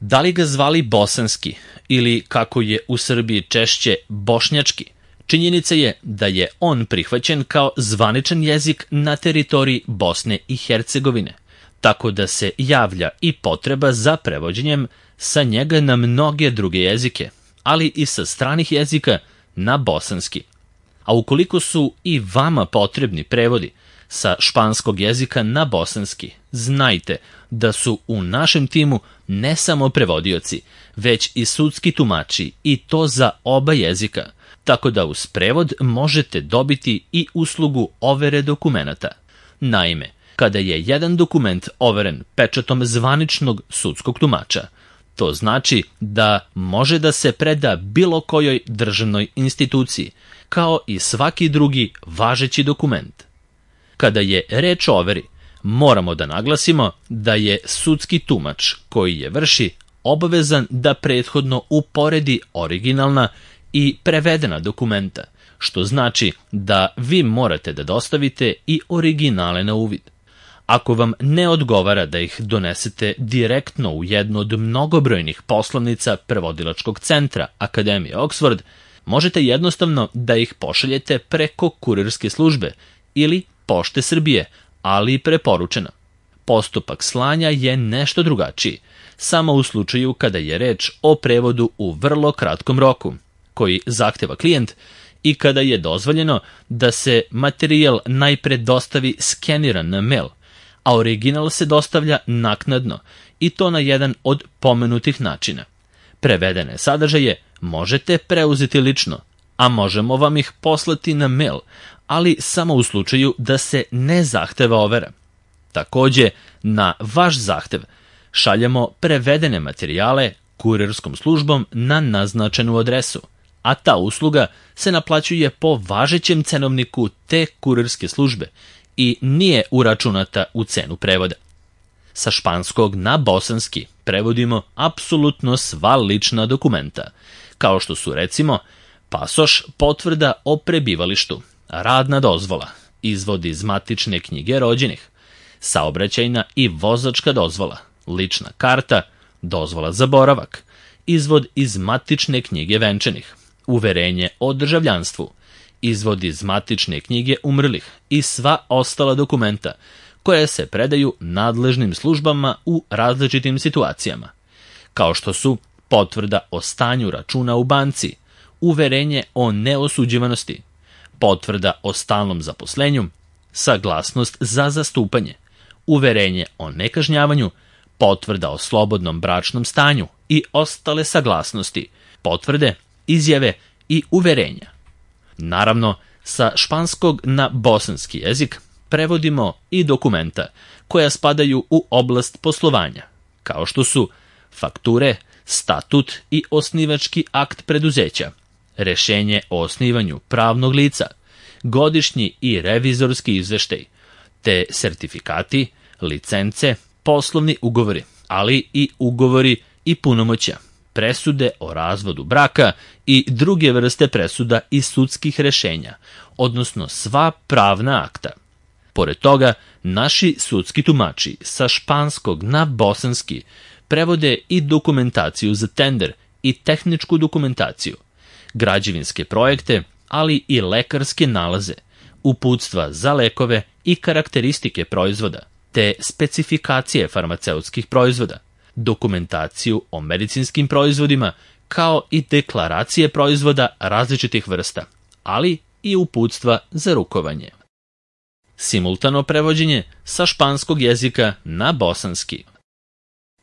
Da li ga zvali bosanski ili, kako je u Srbiji češće, bošnjački, činjenica je da je on prihvaćen kao zvaničan jezik na teritoriji Bosne i Hercegovine, tako da se javlja i potreba za prevođenjem sa njega na mnoge druge jezike, ali i sa stranih jezika na bosanski. A ukoliko su i vama potrebni prevodi sa španskog jezika na bosanski, znajte da su u našem timu ne samo prevodioci, već i sudski tumači, i to za oba jezika, tako da uz prevod možete dobiti i uslugu overe dokumenata. Naime, kada je jedan dokument overen pečatom zvaničnog sudskog tumača, to znači da može da se preda bilo kojoj državnoj instituciji, kao i svaki drugi važeći dokument. Kada je reč o overi, moramo da naglasimo da je sudski tumač koji je vrši obavezan da prethodno uporedi originalna i prevedena dokumenta, što znači da vi morate da dostavite i originale na uvid. Ako vam ne odgovara da ih donesete direktno u jednu od mnogobrojnih poslovnica prevodilačkog centra Akademije Oxford, možete jednostavno da ih pošaljete preko kurirske službe ili Pošte Srbije, ali preporučeno. Postupak slanja je nešto drugačiji, samo u slučaju kada je reč o prevodu u vrlo kratkom roku, koji zahteva klijent, i kada je dozvoljeno da se materijal najpre dostavi skeniran na mail, a original se dostavlja naknadno, i to na jedan od pomenutih načina. Prevedene sadržaje možete preuzeti lično, a možemo vam ih poslati na mail, ali samo u slučaju da se ne zahteva overa. Takođe, na vaš zahtev šaljemo prevedene materijale kurirskom službom na naznačenu adresu, a ta usluga se naplaćuje po važećem cenovniku te kurirske službe i nije uračunata u cenu prevoda. Sa španskog na bosanski prevodimo apsolutno sva lična dokumenta, kao što su recimo pasoš, potvrda o prebivalištu, radna dozvola, izvod iz matične knjige rođenih, saobraćajna i vozačka dozvola, lična karta, dozvola za boravak, izvod iz matične knjige venčanih, uverenje o državljanstvu, izvod iz matične knjige umrlih i sva ostala dokumenta koja se predaju nadležnim službama u različitim situacijama, kao što su potvrda o stanju računa u banci, uverenje o neosuđivanosti, potvrda o stalnom zaposlenju, saglasnost za zastupanje, uverenje o nekažnjavanju, potvrda o slobodnom bračnom stanju i ostale saglasnosti, potvrde, izjave i uverenja. Naravno, sa španskog na bosanski jezik prevodimo i dokumenta koja spadaju u oblast poslovanja, kao što su fakture, statut i osnivački akt preduzeća, rešenje o osnivanju pravnog lica, godišnji i revizorski izveštaj, te sertifikati, licence, poslovni ugovori, ali i ugovori i punomoćja, presude o razvodu braka i druge vrste presuda i sudskih rešenja, odnosno sva pravna akta. Pored toga, naši sudski tumači sa španskog na bosanski prevode i dokumentaciju za tender i tehničku dokumentaciju, građevinske projekte, ali i lekarske nalaze, uputstva za lekove i karakteristike proizvoda, te specifikacije farmaceutskih proizvoda, dokumentaciju o medicinskim proizvodima, kao i deklaracije proizvoda različitih vrsta, ali i uputstva za rukovanje. Simultano prevođenje sa španskog jezika na bosanski.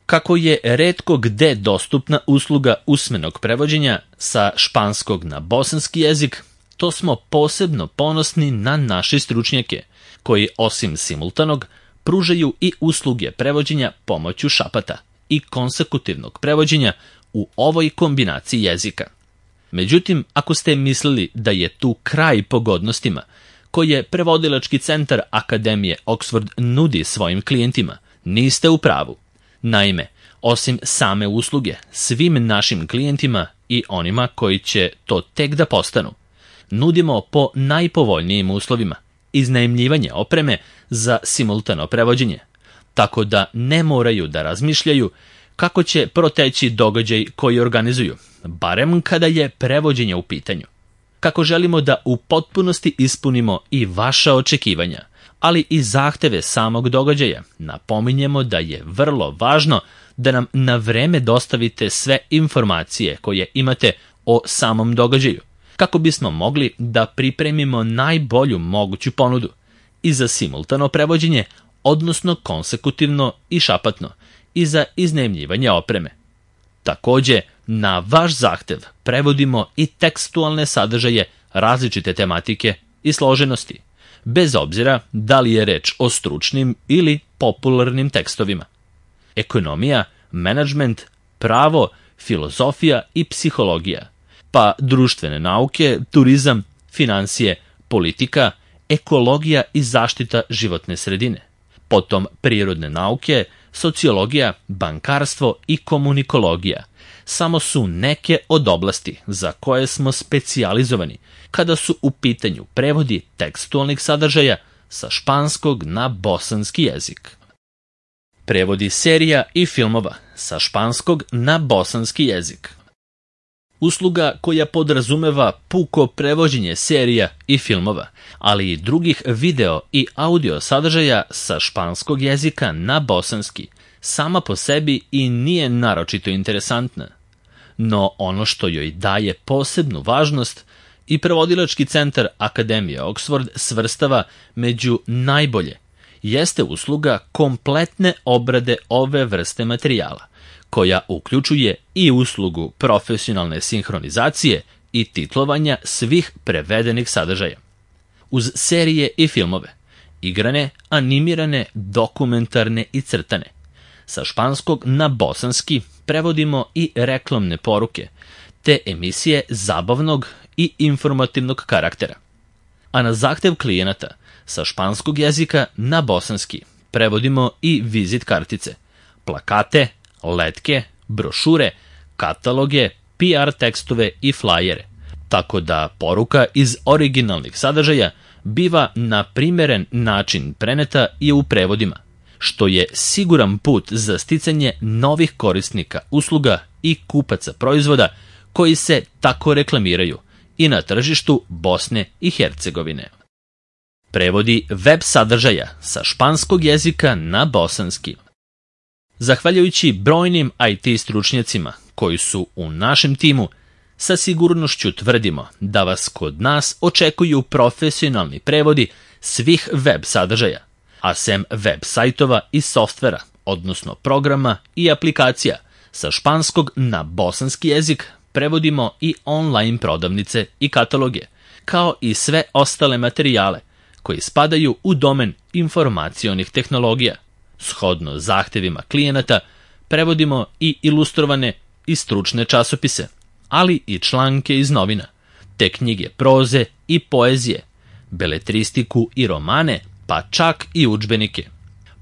Kako je retko gde dostupna usluga usmenog prevođenja sa španskog na bosanski jezik, to smo posebno ponosni na naše stručnjake, koji osim simultanog pružaju i usluge prevođenja pomoću šapata i konsekutivnog prevođenja u ovoj kombinaciji jezika. Međutim, ako ste mislili da je tu kraj pogodnostima koje prevodilački centar Akademije Oxford nudi svojim klijentima, niste u pravu. Naime, osim same usluge, svim našim klijentima i onima koji će to tek da postanu, nudimo po najpovoljnijim uslovima iznajmljivanje opreme za simultano prevođenje, tako da ne moraju da razmišljaju kako će proteći događaj koji organizuju, barem kada je prevođenje u pitanju. Kako želimo da u potpunosti ispunimo i vaša očekivanja, ali i zahteve samog događaja, napominjemo da je vrlo važno da nam na vreme dostavite sve informacije koje imate o samom događaju, kako bismo mogli da pripremimo najbolju moguću ponudu i za simultano prevođenje, odnosno konsekutivno i šapatno, i za iznajmljivanje opreme. Takođe, na vaš zahtev prevodimo i tekstualne sadržaje različite tematike i složenosti, bez obzira da li je reč o stručnim ili popularnim tekstovima. Ekonomija, menadžment, pravo, filozofija i psihologija, pa društvene nauke, turizam, finansije, politika, ekologija i zaštita životne sredine, potom prirodne nauke, sociologija, bankarstvo i komunikologija samo su neke od oblasti za koje smo specijalizovani kada su u pitanju prevodi tekstualnih sadržaja sa španskog na bosanski jezik. Prevodi serija i filmova sa španskog na bosanski jezik. Usluga koja podrazumeva puko prevođenje serija i filmova, ali i drugih video i audio sadržaja sa španskog jezika na bosanski, sama po sebi i nije naročito interesantna. No ono što joj daje posebnu važnost i prevodilački centar Akademije Oxford svrstava među najbolje, jeste usluga kompletne obrade ove vrste materijala, koja uključuje i uslugu profesionalne sinhronizacije i titlovanja svih prevedenih sadržaja. Uz serije i filmove, igrane, animirane, dokumentarne i crtane, sa španskog na bosanski prevodimo i reklamne poruke, te emisije zabavnog i informativnog karaktera. A na zahtev klijenata, sa španskog jezika na bosanski prevodimo i vizit kartice, plakate, letke, brošure, kataloge, PR tekstove i flajere, tako da poruka iz originalnih sadržaja biva na primeren način preneta i u prevodima, što je siguran put za sticanje novih korisnika usluga i kupaca proizvoda koji se tako reklamiraju i na tržištu Bosne i Hercegovine. Prevodi web sadržaja sa španskog jezika na bosanski. Zahvaljujući brojnim IT stručnjacima koji su u našem timu, sa sigurnošću tvrdimo da vas kod nas očekuju profesionalni prevodi svih web sadržaja, a sem web sajtova i softvera, odnosno programa i aplikacija, sa španskog na bosanski jezik prevodimo i online prodavnice i kataloge, kao i sve ostale materijale koji spadaju u domen informacionih tehnologija. Shodno zahtevima klijenata prevodimo i ilustrovane i stručne časopise, ali i članke iz novina, te knjige proze i poezije, beletristiku i romane, pa čak i udžbenike.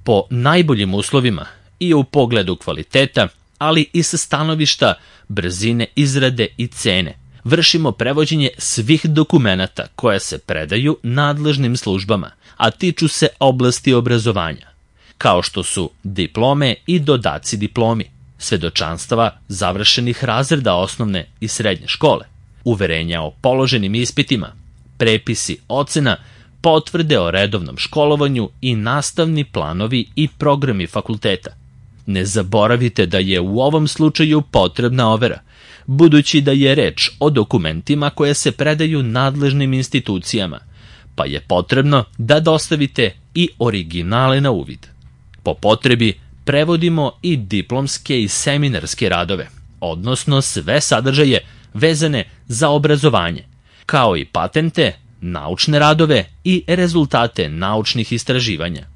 Po najboljim uslovima i u pogledu kvaliteta, ali i sa stanovišta brzine izrade i cene, vršimo prevođenje svih dokumenata koje se predaju nadležnim službama, a tiču se oblasti obrazovanja, kao što su diplome i dodaci diplomi, svedočanstava završenih razreda osnovne i srednje škole, uverenja o položenim ispitima, prepisi ocena, potvrde o redovnom školovanju i nastavni planovi i programi fakulteta. Ne zaboravite da je u ovom slučaju potrebna overa, budući da je reč o dokumentima koje se predaju nadležnim institucijama, pa je potrebno da dostavite i originale na uvid. Po potrebi prevodimo i diplomske i seminarske radove, odnosno sve sadržaje vezane za obrazovanje, kao i patente, naučne radove i rezultate naučnih istraživanja.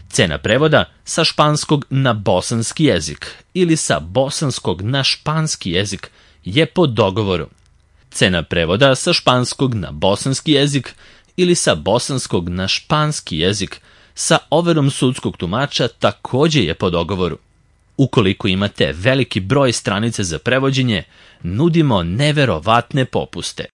Cena prevoda sa španskog na bosanski jezik ili sa bosanskog na španski jezik je po dogovoru. Cena prevoda sa španskog na bosanski jezik ili sa bosanskog na španski jezik sa overom sudskog tumača takođe je po dogovoru. Ukoliko imate veliki broj stranice za prevođenje, nudimo neverovatne popuste.